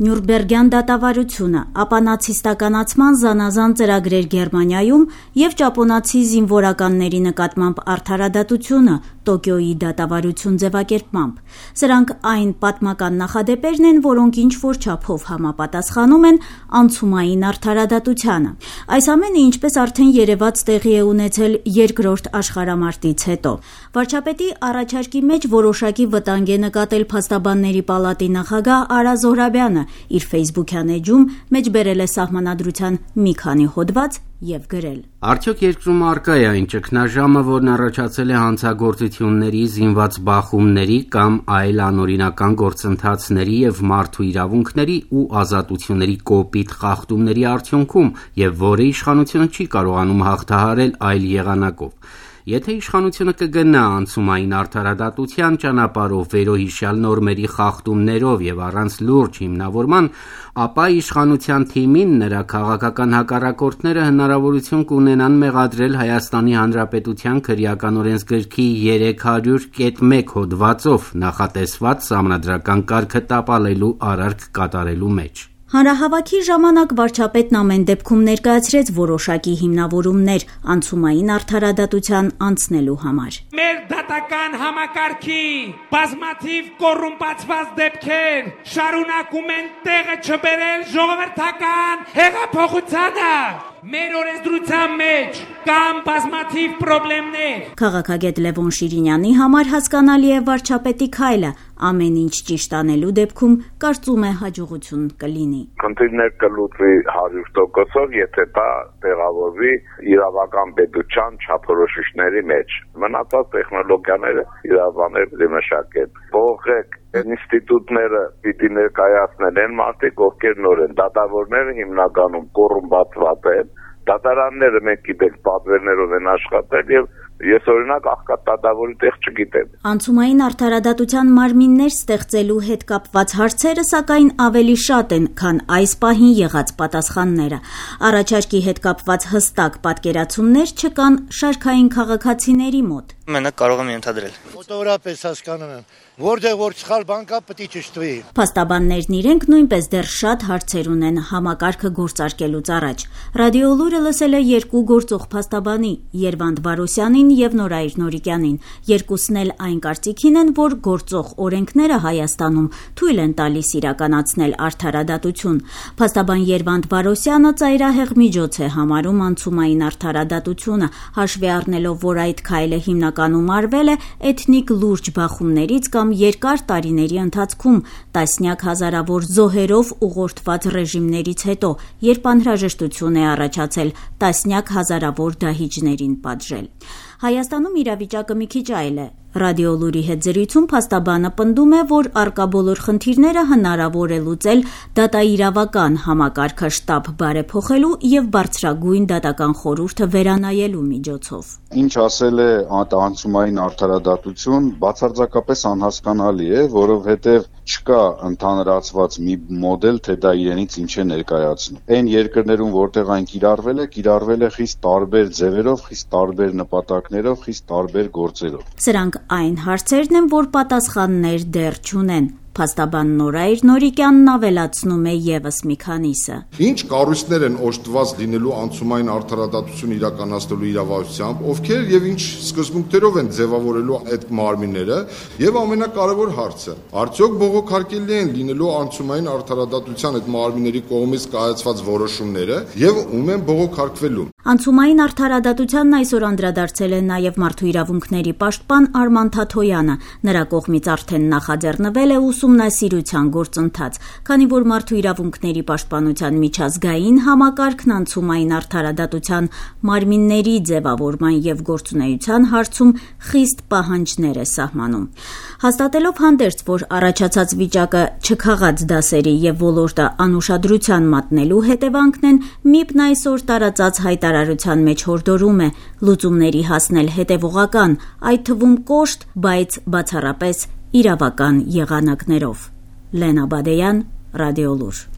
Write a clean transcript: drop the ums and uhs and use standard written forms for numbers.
Նյուրնբերգյան դատավարությունը, ապա նացիստականացման զանազան ծրագրեր Գերմանիայում և ճապոնացի զինվորականների նկատմամբ արդարադատությունը Տոկիոյի դատավարություն ձևակերպմամբ։ Սրանք այն պատմական նախադեպերն են, որոնք ինչ-որ չափով համապատասխանում են անցումային արդարադատությանը։ Այս ամենը, ինչպես արդեն երևաց, տեղի է ունեցել Երկրորդ աշխարհամարտից հետո։ Վարչապետի առաջարկի մեջ որոշակի վտանգ է նկատել Փաստաբանների պալատի նախագահ Արա Զոհրաբյանը, իր ֆեյսբուքյան էջում մեջբերել է Սահմանադրության մի քանի հոդված և գրել. Արդյոք երկրում առկա է այն ճգնաժամը, որն առաջացել է հանցագործությունների, զինված բախումների կամ այլ անօրինական գործընթացների և մարդու իրավունքների ու ազատությունների կոպիտ խախտումների արդյունքում, և որը իշխանությունը չի կարողանում հաղթահարել այլ եղանակով։ Եթե իշխանությունը կգնա անցումային արդարադատության ճանապարհով վերոհիշյալ նորմերի խախտումներով և առանց լուրջ հիմնավորման, ապա իշխանության թիմին նրա քաղաքական հակառակորդները հնարավորություն կունենան մեղադրել Հայաստանի Հանրապետության քրեական օրենսգրքի 300.1 հոդվածով նախատեսված սահմանադրական կարգը տապալելու արարք կատարելու մեջ։ Հանրահավաքի ժամանակ վարչապետն ամեն դեպքում ներկայացրեց որոշակի հիմնավորումներ անցումային արդարադատության անցնելու համար։ Մեր դատական համակարգի բազմաթիվ կոռումպացված դեպքեր շարունակում են տեղը չբերել ժողովրդական հեղափոխությանը։ Մեր օրենսդրության մեջ կան բազմաթիվ խնդիրներ։ Քաղաքագետ Լևոն Շիրինյանի համար հասկանալի է վարչապետի քայլը, ամեն ինչ ճիշտ անելու դեպքում կարծում է հաջողություն կլինի։ Խնդիրներ կլուծվի 100%-ով, եթե դա տեղավորվի իրավական պետության չափորոշիչների մեջ։ Մնացած տեխնոլոգիաները իրավաբանները պիտի մշակեն։ Փոխեք ինստիտուտները պիտի ներկայացնեն այն մարդիկ, ովքեր նոր են։ Դատավորները հիմնականում կոռումպացված են։ Դատարանները մենք գիտենք պատվերներով են աշխատել եւ ես օրինակ աղքատ դատավորի տեղ չգիտեմ։ Անցումային արդարադատության մարմիններ ստեղծելու հետ կապված հարցերը սակայն ավելի շատ են, քան այս պահին եղած պատասխանները։ Առաջարկի հետ կապված հստակ պատկերացումներ չկան շարքային քաղաքացիների մոտ։ Մենակ կարող եմ ենթադրել։ Մոտավորապես հասկանում եմ, որտեղ որ սխալ բան կա, պետք է ճշտվի։ Փաստաբաններն իրենք նույնպես դեռ շատ հարցեր ունեն համակարգը գործարկելուց առաջ։ Ռադիոլուրը լսել է երկու գործող փաստաբանի՝ Երվանդ Վարոսյանին և Նորայր Նորիկյանին։ Երկուսն էլ այն կարծիքին են, որ գործող օրենքները Հայաստանում թույլ են տալիս իրականացնել արդարադատություն։ Փաստաբան Երվանդ Վարոսյանը ծայրահեղ միջոց է համարում անցումային արդարադատությունը, հաշվի առնելով, որ այդ քայլը հիմնականում արվել է էթնիկ լուրջ բախումներից կամ երկար տարիների ընթացքում տասնյակ հազարավոր զոհերով ուղղորդված ռեժիմներից հետո, երբ անհրաժեշտություն է առաջացել տասնյակ հազարավոր դահիճներին պատժել։ Հայաստանում իրավիճակը մի քիչ այլ է։ Ռադիոլուրի հետ զրույցում փաստաբանը պնդում է, որ առկա բոլոր խնդիրները հնարավոր է լուծել դատաիրավական համակարգը շտապ բարեփոխելու և բարձրագույն դատական խորհուրդը վերանայելու միջոցով։ Ինչ ասել է անցումային արդարադատություն, բացարձակապես անհասկանալի է, որովհետև չկա ընդհանրացված մի մոդել, թե դա իրենից ինչ է ներկայացնում։ Այն երկրներում, որտեղ այն կիրառվել է խիստ տարբեր ձևերով, խիստ տարբեր նպատակներով, խիստ տարբեր գործերով։ Սրանք այն հարցերն են, որ պատասխաններ դեռ չունեն։ Փաստաբան Նորայր Նորիկյանն ավելացնում է ևս մի քանիսը։ Ինչ կառույցներ են օժտված լինելու անցումային արդարադատություն իրականացնելու իրավասությամբ, ովքեր եւ ինչ սկզբունքներով են ձևավորելու այդ մարմինները, եւ ամենակարևոր հարցը, արդյոք բողոքարկելի են լինելու անցումային արդարադատության այդ մարմինների կողմից կայացված որոշումները եւ ում են բողոքարկվելու։ Անցումային արդարադատությանն այսօր անդրադարձել է նաև մարդու իրավունքների պաշտպան Արման Թաթոյանը։ Նրա կողմից արդեն նախաձեռնվել է ուսումնասիրության գործընթաց, քանի որ մարդու իրավունքների պաշտպանության միջազգային համակարգն անցումային արդարադատության մարմինների ձևավորման և գործունեության հարցում խիստ պահանջներ է սահմանում։ Հաստատելով հանդերձ, որ առաջացած վիճակը չքաղած դասերի և ոլորտը անուշադրության մատնելու հետևանքն են, ՄԻՊ-ն այսօր տարածած հայտարարության մեջ հորդորում է լուծումների հասնել հետևողական, այդ թվում կոշտ, բայց բացառապես իրավական եղանակներով։ Լենա Բադեյան, Ռադիոլուր։